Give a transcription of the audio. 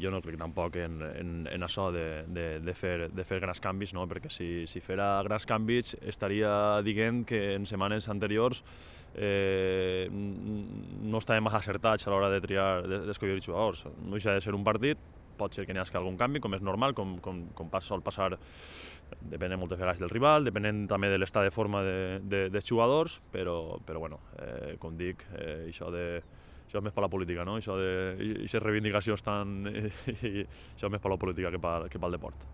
Jo no crec tampoc en això de fer grans canvis, no? Perquè si fera grans canvis estaria dient que en setmanes anteriors no estàvem massa acertats a l'hora de triar, d'escollir jugadors. No deixa de ser un partit, pot ser que n'hi hagi algun canvi, com és normal, com sol passar, depenent moltes vegades del rival, depenent també de l'estat de forma dels jugadors, però bueno, com dic, això és més per la política, no? Això de aquestes reivindicacions això és més per la política que pel deport.